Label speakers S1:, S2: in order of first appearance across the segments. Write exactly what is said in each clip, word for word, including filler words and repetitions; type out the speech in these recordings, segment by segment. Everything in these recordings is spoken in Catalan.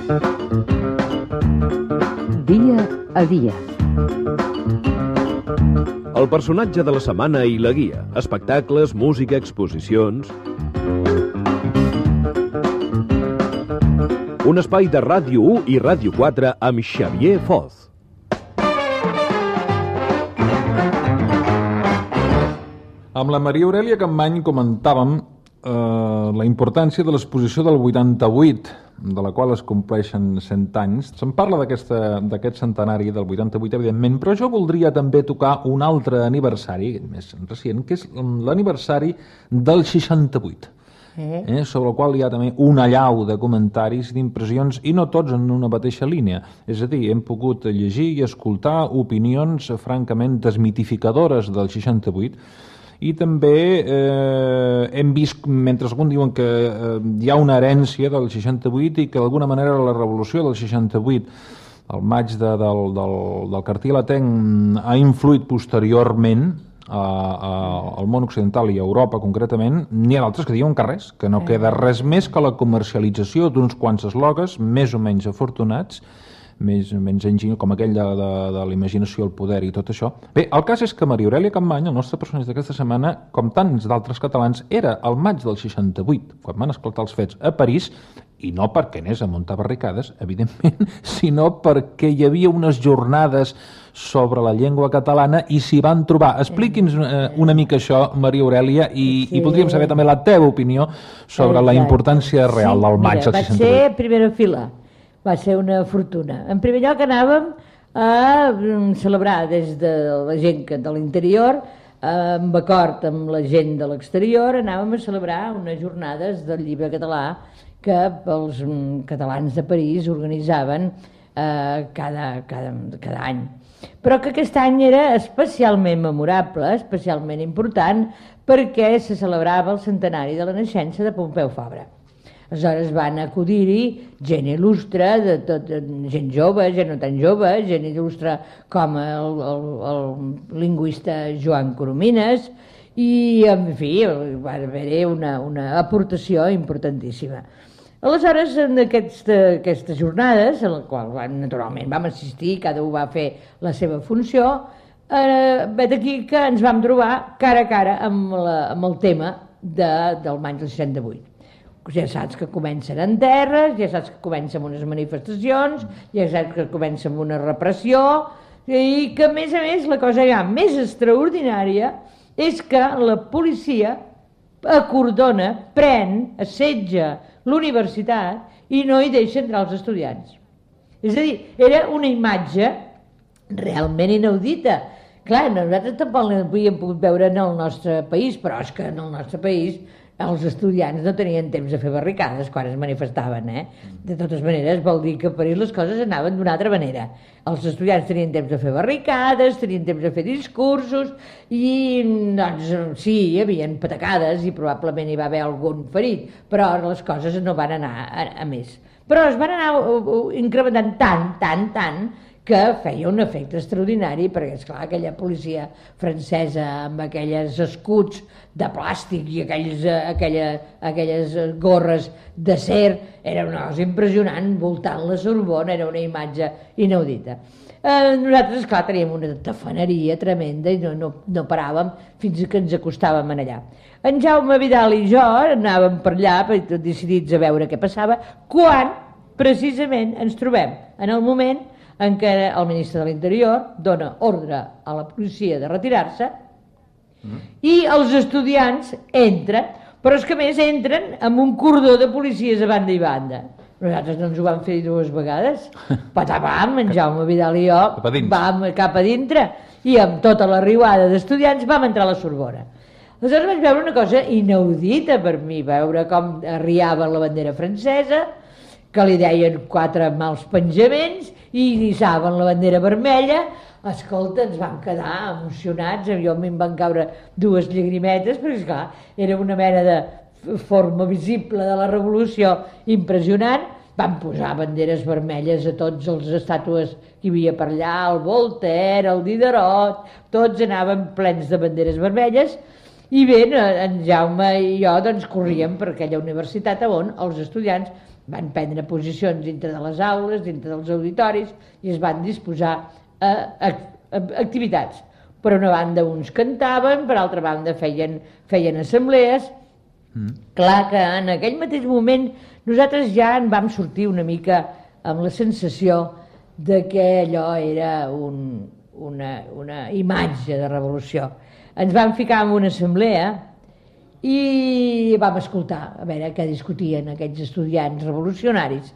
S1: Dia a dia.
S2: El personatge de la setmana i la guia. Espectacles, música, exposicions... Un espai de Ràdio u i Ràdio quatre amb Xavier Foz.
S3: Amb la Maria Aurèlia Campmany comentàvem eh, la importància de l'exposició del vuitanta-vuit, de la qual es compleixen cent anys. Se'n parla d'aquest centenari del vuitanta-vuit, evidentment, però jo voldria també tocar un altre aniversari, més recent, que és l'aniversari del seixanta-vuit. Eh, sobre el qual hi ha també una allau de comentaris i d'impressions, i no tots en una mateixa línia. És a dir, hem pogut llegir i escoltar opinions francament desmitificadores del seixanta-vuit, i també eh, hem vist, mentre alguns diuen que eh, hi ha una herència del seixanta-vuit i que d'alguna manera la revolució del seixanta-vuit, el maig de, del, del, del cartí latenc, ha influït posteriorment a, a, al món occidental i a Europa concretament. N'hi ha d'altres que diuen que res, que no queda res més que la comercialització d'uns quants eslògans més o menys afortunats, més o menys enginyo, com aquell de, de, de la imaginació, el poder i tot això. Bé, el cas és que Maria Aurèlia Campmany, el nostre personatge d'aquesta setmana, com tants d'altres catalans, era al maig del seixanta-vuit, quan van esclatar els fets a París, i no perquè anés a muntar barricades, evidentment, sinó perquè hi havia unes jornades sobre la llengua catalana i s'hi van trobar. Expliqui'ns eh, una mica això, Maria Aurèlia, i, sí. i podríem saber també la teva opinió sobre Exacte. La importància real sí, del maig mira, del seixanta-vuit.
S4: Va ser a primera fila. Va ser una fortuna. En primer lloc anàvem a celebrar des de la gent de l'interior, amb acord amb la gent de l'exterior, anàvem a celebrar unes jornades del llibre català que els catalans de París organitzaven eh, cada, cada, cada any. Però que aquest any era especialment memorable, especialment important, perquè se celebrava el centenari de la naixença de Pompeu Fabra. Aleshores van acudir-hi gent il·lustre, de tot, gent jove, gent no tan jove, gent il·lustre com el, el, el lingüista Joan Coromines, i, en fi, va haver-hi una, una aportació importantíssima. Aleshores, en aquesta, aquestes jornades, en les quals naturalment vam assistir, cada un va fer la seva funció, eh, ve d'aquí que ens vam trobar cara a cara amb, la, amb el tema de, del maig del seixanta-vuit. Ja saps que comencen en terres, ja saps que comencen amb unes manifestacions, ja saps que comença amb una repressió, i que a més a més la cosa ja més extraordinària és que la policia acordona, pren, assetja l'universitat i no hi deixa entrar els estudiants. És a dir, era una imatge realment inaudita. Clar, nosaltres tampoc l'havíem pogut veure en el nostre país, però és que en el nostre país els estudiants no tenien temps de fer barricades quan es manifestaven, eh? De totes maneres, vol dir que a París les coses anaven d'una altra manera. Els estudiants tenien temps de fer barricades, tenien temps de fer discursos, i doncs sí, hi havia patacades i probablement hi va haver algun ferit, però les coses no van anar a, a més. Però es van anar incrementant tant, tant, tant, que feia un efecte extraordinari, perquè, esclar, aquella policia francesa amb aquelles escuts de plàstic i aquells, aquella, aquelles gorres d'acer, era una cosa impressionant, voltant la Sorbona, era una imatge inaudita. Eh, nosaltres, esclar, teníem una tafaneria tremenda i no, no, no paràvem fins que ens acostàvem allà. En Jaume Vidal i jo anàvem per allà, decidits a veure què passava, quan precisament ens trobem en el moment en què el ministre de l'Interior dona ordre a la policia de retirar-se mm. i els estudiants entren, però és que a més entren amb un cordó de policies a banda i banda. Nosaltres no ens ho vam fer dues vegades. Patapam, en Jaume Vidal i jo vam cap a dintre i amb tota la riuada d'estudiants vam entrar a la Sorbona. Aleshores vaig veure una cosa inaudita per mi, veure com arriava la bandera francesa, que li deien quatre mals penjaments, i guissaven la bandera vermella. Escolta, ens vam quedar emocionats, jo a mi em van caure dues llagrimetes, perquè esclar, era una mena de forma visible de la revolució impressionant. Van posar banderes vermelles a tots els estàtues que hi havia per allà, el Voltaire, el Diderot, tots anaven plens de banderes vermelles, i bé, en Jaume i jo doncs corríem per aquella universitat on els estudiants van prendre posicions dintre de les aules, dintre dels auditoris, i es van disposar a, a, a activitats. Per una banda uns cantaven, per altra banda feien, feien assemblees. Mm. Clar que en aquell mateix moment nosaltres ja en vam sortir una mica amb la sensació de que allò era un, una, una imatge de revolució. Ens vam ficar en una assemblea i vam escoltar a veure què discutien aquests estudiants revolucionaris.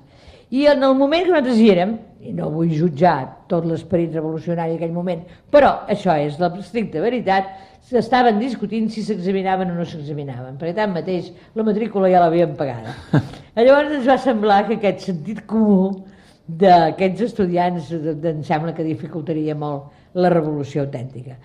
S4: I en el moment que nosaltres hi érem, i no vull jutjar tot l'esperit revolucionari d'aquell moment, però això és la estricta veritat, s'estaven discutint si s'examinaven o no s'examinaven, perquè tanmateix la matrícula ja l'havien pagada. Llavors ens va semblar que aquest sentit comú d'aquests estudiants em sembla que dificultaria molt la revolució autèntica.